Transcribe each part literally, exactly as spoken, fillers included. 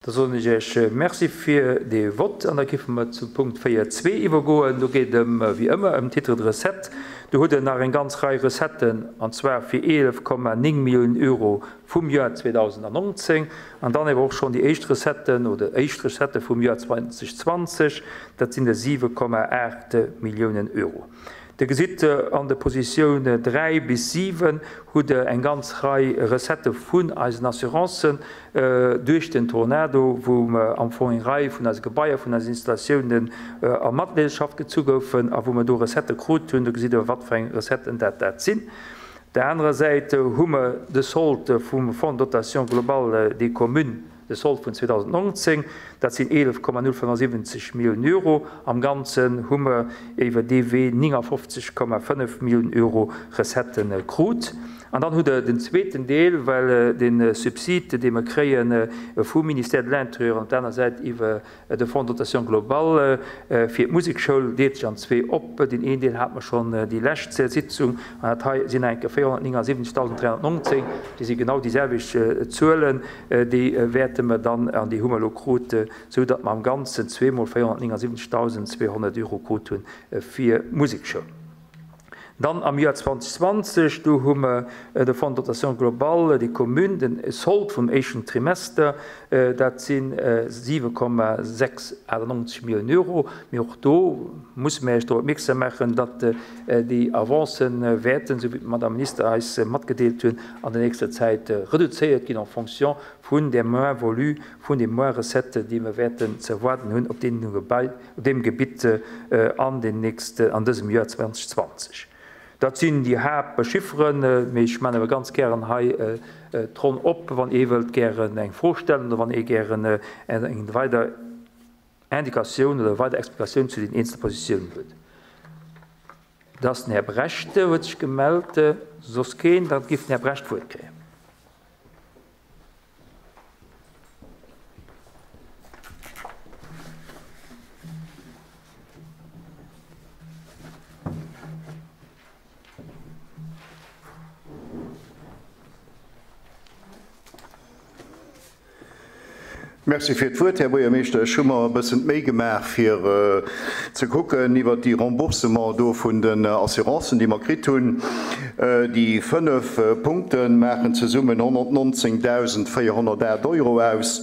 Da soen ech Iech Merci fir dee Vott an da géife mer zum Punkt véier zwee iwwergoen. Do geet et ëm, wéi ëmmer, ëm Titre de recettes. Do hutt Der nach eng ganz Rei Recetten, an zwar fir eelef Komma néng Milliounen Euro vum Joer zweedausendnonzéng an dann awer och schonn déi éischt Recetten oder éischt Recettë vum Joer zweitausendzwanzeg, dat sinn der siwe Komma aacht Milliounen Euro. Der gesitt an de Positioun dräi bis siwen hutt Der eng ganz Rei Recettë vun eisen Assurancen duerch den Tornado, wou mer am Fong eng Rei vun eise Gebaier, vun eisen Installatiounen a Matleedeschaft gezu goufen a wou mer do Recettë krut hunn. Do gesitt Der, wat fir eng Recetten dat dat sinn. Op der anerer Säit hu mer de Solde vum Fonds de dotation globale des communes, de Solde vun zweedausendnonzéng, dat sinn eelef Komma null fënnefensiwwenzeg Milliounen Euro. Am Ganzen hu mer iwwer dee Wee néngafofzeg Komma fënnef Milliounen Euro Recettë krut. An dann hutt Der den zweeten Deel, well de Subsid, dee mer kréie vum Ministère de l'Intérieur an op der aner Säit iwwer de Fonds de dotation globale fir d'Musekschoul, deelt sech an zwee op. Deen een Deel hate mer schonn déi lescht Sitzung, an dat hei sinn enke véierhonnertnéngasiwwenzegdausend dräihonnertnonzéng. Déi si genau déi selwecht Zuelen, déi wäerte mer dann, an déi hu mer elo krut, sou datt mer am Ganzen zweemol véierhonnertnéngasiwwenzegdausendzweehonnert Euro krut hunn fir d'Musekschoul. Dann am Joer zweitausendzwanzeg, do hu mer de Fonds de dotation globale des communes, den Solde vum éischten Trimester, dat si siwe Komma sechs achtundneunzeg Milliounen Euro. Mee och do musse mir Iech drop opmierksam maachen, datt déi Avancen wäerten, sou wéi d'Madame Minister eis matgedeelt hunn, an der nächster Zäit reduzéiert ginn en fonction vun der Moins-value, vun de Moins-recettes, déi mer wäerten ze erwaarden hunn op deem Gebai, op deem Gebitt an den nächsten, an dësem Joer zweitausendzwanzeg. Dat sinn déi Haaptchifferen, mee ech maachen awer ganz gären hei d'Ronn op, wann ee wëllt gären eng Fro stellen oder wann ee gären eng weider Indikatioun oder weider Explikatioun zu den eenzele Positiounen huet. Da ass den Här Brecht, huet sech gemellt, soss keen, da giff den Här Brecht d'Wuert kréien. Merci fir d'Wuert, Här Buergermeeschter. Ech hu mer e bëssen d'Méi gemaach, fir ze kucken iwwert déi Remboursement do vun den Assurancen, déi mer kritt hunn. Déi fënnef Punkte maachen zesummen honnertnonzéngdausendvéierhonnertacht Euro aus.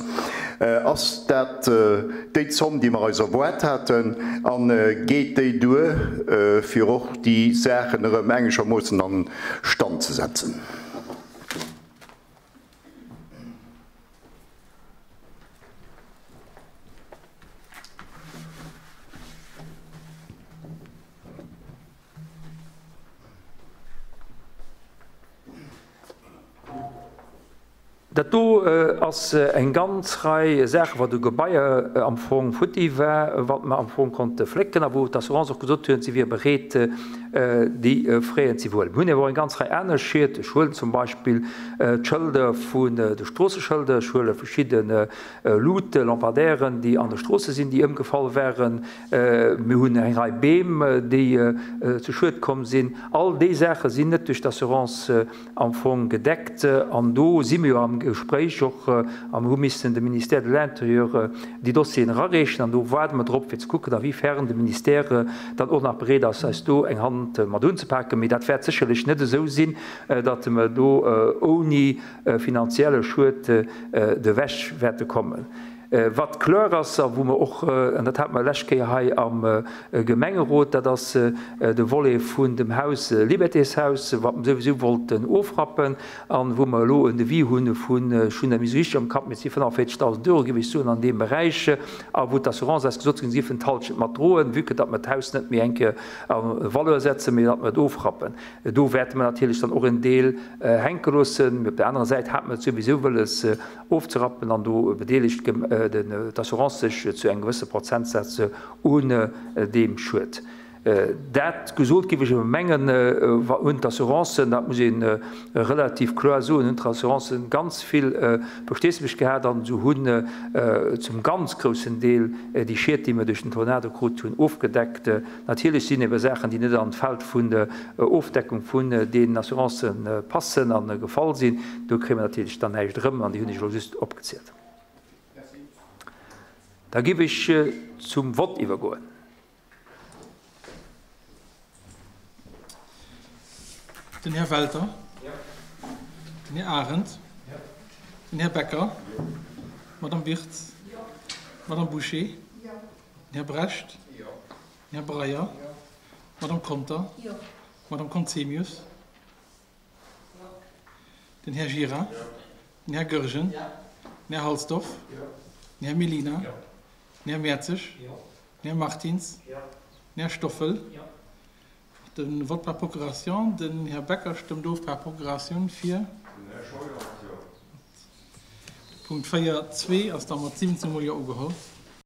Ass dat déi Zomm, déi mer eis erwaart haten, a geet déi duer, fir och déi Saachen erëm engeschermoossen an Stand ze setzen? Dat do ass eng ganz Rei Saachen, wat u Gebaier am Fong futti war, wat mer am Fong konnte flécken a wou d'Assurance och gesot huet, si wier bereet, déi Fräen ze iwwerhuelen. Mir hunn awer och eng ganz Rei aner Schied. Ech huelen zum Beispill d'Schëlder vun de Stroosseschëlder, ech huele verschidde Luute, Lampadaires, déi an de Stroosse sinn, déi ëmgefall waren. Mir hunn eng Rei Beem, déi zu Schued komm sinn. All déi Saache sinn net duerch d'Assurance am Fong gedeckt. An do si mir jo am Gespréich och a mir hu missen dem Ministère de l'Intérieur déi Dossieren erareechen. An do waarde mer drop, fir ze kucken, a wéi fern de Ministère dann och nach bereet ass, eis do eng Hand mat unzepaken. Mee dat wäert sécherlech net esou sinn, datt mer do ouni finanzielle Schued ewech wäerte kommen. Wat kloer ass a wou mer och, an dat hate mer lescht Kéier hei am Gemengerot, dat ass de Volet vun dem Haus, Libertéshaus, wat mer souwisou wollten ofrappen a wou mer elo en Devis hunn vun, ech hunn dat méi esou richteg am Kapp, mee et si fënnefundvéierzegdausend Euro, géif ech soen, an deem Beräich, a wou d'Assurance eis gesot huet, si géifen d'Halschent mat droen, vue que datt mer d'Haus net méi eng Kéier a Valeur setzen, mee datt mer et ofrappen. Do wäerte mer natierlech dann och en Deel hänke loossen. Mee op der anerer Säit hate mer et souwisou wëlles ofzerappen an do bedeelegt d'Assurance sech zu engem gewësse Prozentsaz un deem Schued. Dat gesot, géif ech awer mengen, hunn d'Assurancen, dat muss ee relativ kloer soen, hunn d'Assurancen ganz vill Versteesdemech gehat an se hunn zum ganz groussen Deel déi Schied, déi mer duerch den Tornado krut hunn, ofgedeckt. Natierlech sinn ebe Saachen, déi net an d'Feld vun der Ofdeckung vun deenen Assurancen passen a gefall sinn, do kréie mer natierlech dann näischt erëm an déi hunn ech elo just opgezielt. Merci. Da géif ech zum Vott iwwergoen. Den Här Welter. Den Här Arendt. Den Här Becker. D'Madame Wirtz. D'Madame Bouché. Den Här Brecht. Den Här Breyer. D'Madame Conter. D'Madame Conzemius. Den Här Gira. Den Här Goergen. Den Här Halsdorf. Den Här Mellina. Den Här Mertzig. Den Här Martins. Den Här Stoffel. De Vote par procuration, den Här Becker stëmmt of par procuration fir. Punkt véier zwee ass da mat siwwenzéng mol Jo ugeholl.